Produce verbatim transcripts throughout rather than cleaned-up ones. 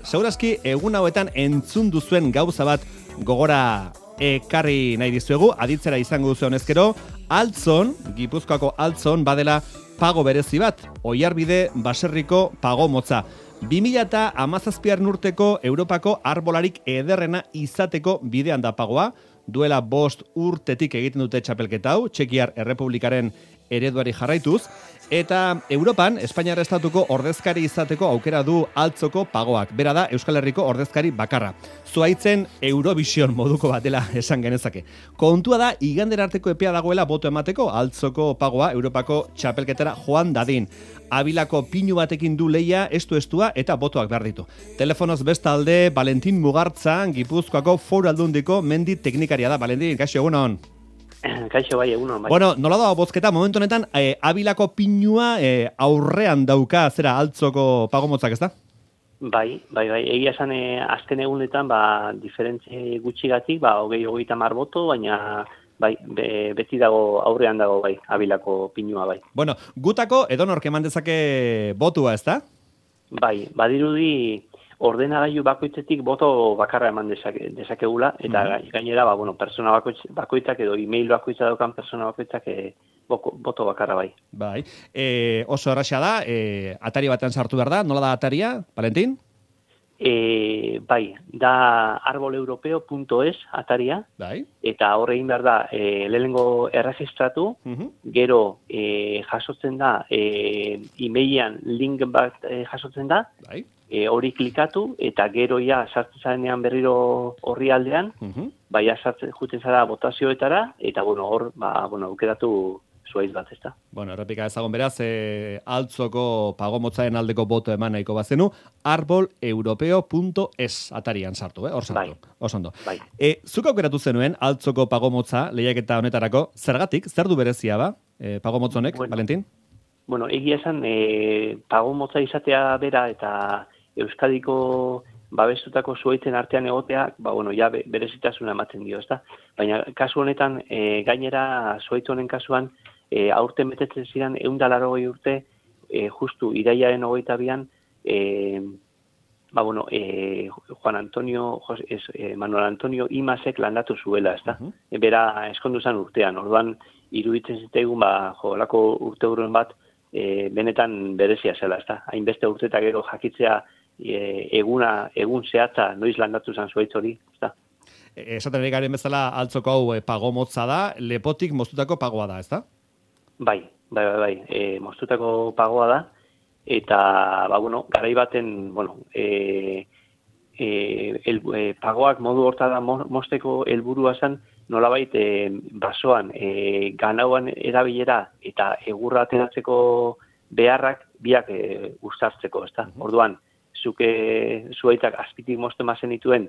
segurazki egun hauetan entzun duzuen gauza bat gogora ekarri nahi dizuegu, aditzera izango duzu honezkero, Altzon, Gipuzkoako Altzon badela pago berezi bat, Oiarbide baserriko pago motza. bi mila hamazazpigarren urteko Europako arbolarik ederrena izateko bidean da pagoa, duela bost urtetik egiten dute txapelketa hau, Txekiar Errepublikaren ereduari jarraituz, eta Europan, Espainiar estatuko ordezkari izateko aukera du Altzoko pagoak. Bera da, Euskal Herriko ordezkari bakarra. Zuaitzen Eurovision moduko bat dela esan genezake. Kontua da, igander arteko epea dagoela boto emateko Altzoko pagoa Europako txapelketara joan dadin. Abilako pinu batekin du leia, estu-estua eta botoak behar ditu. Telefonoz bestalde, Valentin Mugartza, Gipuzkoako Foru Aldundiko mendi teknikaria da. Valentin, kaixo, egunon. Kaixo, bai, egunon, bai. Bueno, nola da bozketa, momentu honetan, eh, Abilako pinua eh, aurrean dauka, zera, Altzoko pagomotzak, ez da? Bai, bai, bai, egia esan eh, azken egunetan, ba, diferentzi gutxigatik, ba, hogei, hogeita mar boto, baina... Bai, be, beti dago, aurrean dago, bai, Abilako pinua, bai. Bueno, gutako edonork eman dezake botua, ez da? Bai, badirudi ordenagailu bakoitzetik boto bakarra eman dezake, dezakegula, eta mm-hmm. gainera, ba, bueno, persona bakoitz, bakoitzak edo e-mail bakoitza daukan persona bakoitzak e, boko, boto bakarra, bai. Bai, e, oso erraxa da, e, atari batean sartu behar da, nola da ataria, Valentin? E, bai, da arboleuropeo punto es ataria, bai. Eta horre egin behar da e, lehenengo erregistratu, uh-huh. Gero e, jasotzen da e, e-mailean link bat e, jasotzen da, bai. E, hori klikatu eta gero ja sartzen zarenean berriro horri aldean, uh-huh. Baia sartzen juten zara botazioetara eta bueno, hor ba, bueno, aukeratu zuaiz bat, ez da. Bueno, errepika ezagon beraz, e, Altzoko pagomotzaren aldeko boto eman nahiko bazenu, arboleuropeo punto es atarian sartu, eh? Hor sartu, bai. Osondo. Bai. E, zuk aukeratu zenuen Altzoko pagomotza lehiaketa honetarako, zergatik, zer du berezia ba, e, pagomotzonek, bueno, Valentin? Bueno, egia esan, e, pagomotza izatea bera eta Euskadiko babestutako zuaitzen artean egoteak, ba, bueno, ja berezitasuna ematen dio, ez da? Baina kasu honetan, e, gainera zuaitz honen kasuan, E, aurten betetzen ziren ehun eta laurogei urte, e, justu iraiaren hogeita bian, e, ba, bueno, e, Juan Antonio, es, e, Manuel Antonio Imasek landatu zuela, ez da? Uh-huh. E, bera eskondu zen urtean, orduan iruditzen zitaigun, ba, jo, lako urte urren bat, e, benetan berezia zela, ez da? Hainbeste urte eta gero jakitzea e, eguna, egun zehatza noiz landatu zen zuaitz hori, ez da? Esaten ari garen bezala Altzoko hau e, pagomotza da, lepotik moztutako pagoa da, ez da? Bai, bai, bai, bai. E, moztutako pagoa da, eta, ba, bueno, garai baten, bueno, e, e, el, e, pagoak modu hortara mozteko helburua zen, nolabait e, basoan, e, ganauan erabilera eta egurra ateratzeko beharrak biak e, uztartzeko, ez da? Orduan, zuke zuaitak azpitik mozten bazen dituen,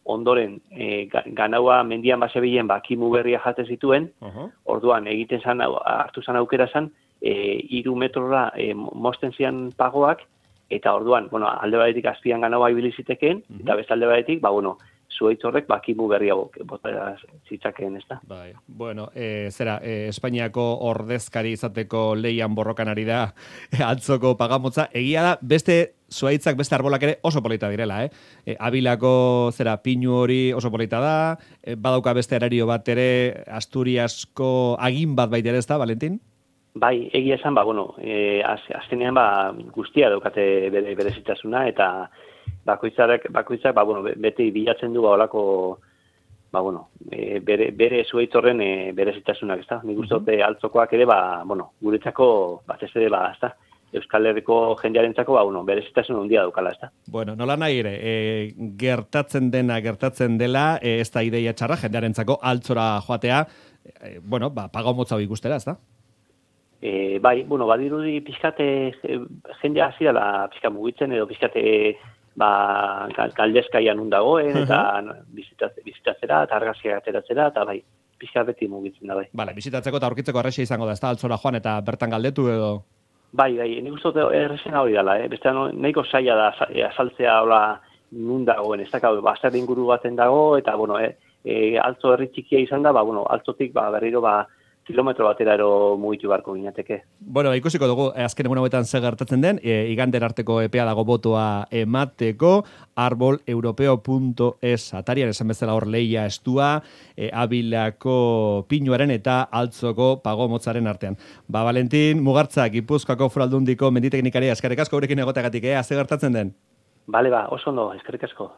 ondoren e, ganaua mendian basebilen ba, kimu berria jate zituen, uh-huh. Orduan egiten zan, hartu zan aukera zan, e, iru metrora e, mozten zian pagoak, eta orduan, bueno, alde batetik azpian ganaua ibili zitekeen, uh-huh. Eta beste alde batetik, ba, bueno, zuaitz horrek ba, kimu berria bota zitzakeen, ez da? Bai, bueno, e, zera, e, Espainiako ordezkari izateko leian borrokan ari da Altzoko pagamotza, egia da, beste zuaitzak beste arbolak ere oso polita direla, eh? E, Abilako zera pinu hori oso polita da, e, badauka beste erario bat ere Asturiasko agin bat baitere, ez da, Valentin? Bai, egia esan, ba, bueno, e, az, azkenean ba, guztia daukate bere, berezitasuna, eta bakoitzak, bakoitzak, ba, bueno, beti bilatzen du, ba, olako, ba, bueno, e, bere, bere zuaitz horren e, berezitasunak, ez da? Nik uste dute Altzokoak ere, ba, bueno, guretzako, bat ez ere, ba, ez da? Euskal Herriko jendearentzako ba uno berezitasun handia daukala, ezta. Bueno, nola nahi ere, e, gertatzen dena gertatzen dela, e, ez da ideia txarra jendearentzako Altzora joatea, e, bueno, ba pagomotza hau ikustera, ezta? E, bai, bueno, badirudi pizkate jendea hasi dela pizka mugitzen edo pizkate ba galdezkaian nun dagoen eta bizitatzera, bizitatzera eta argazkiak ateratzera eta bai, pizka beti mugitzen da bai. Vale, bizitatzeko eta aurkitzeko erresa izango da, ezta? Altzora joan eta bertan galdetu edo Bai, bai, nik uste dut errezena hori dela, eh? Beste nahiko zaila da azaltzea hola nun dagoen, ez da, bazter inguru baten dago, eta, bueno, eh, e, altzo herri txikia izan da, ba, bueno, altzotik, ba, berriro, ba, kilometro bateraro mugitu beharko ginateke. Bueno, ikusiko dugu, azken egun hauetan ze gertatzen den, e, igander arteko epea dago botoa emateko, arboleuropeo punto es atarian esan bezala hor leia estua, e, Abilako pinuaren eta Altzoko pago motzaren artean. Ba, Valentin, Mugartza, Gipuzkoako Foraldundiko menditeknikari eskerrik asko gurekin egoteagatik, eh, ze gertatzen den? Bale ba, oso ondo, eskerrik asko.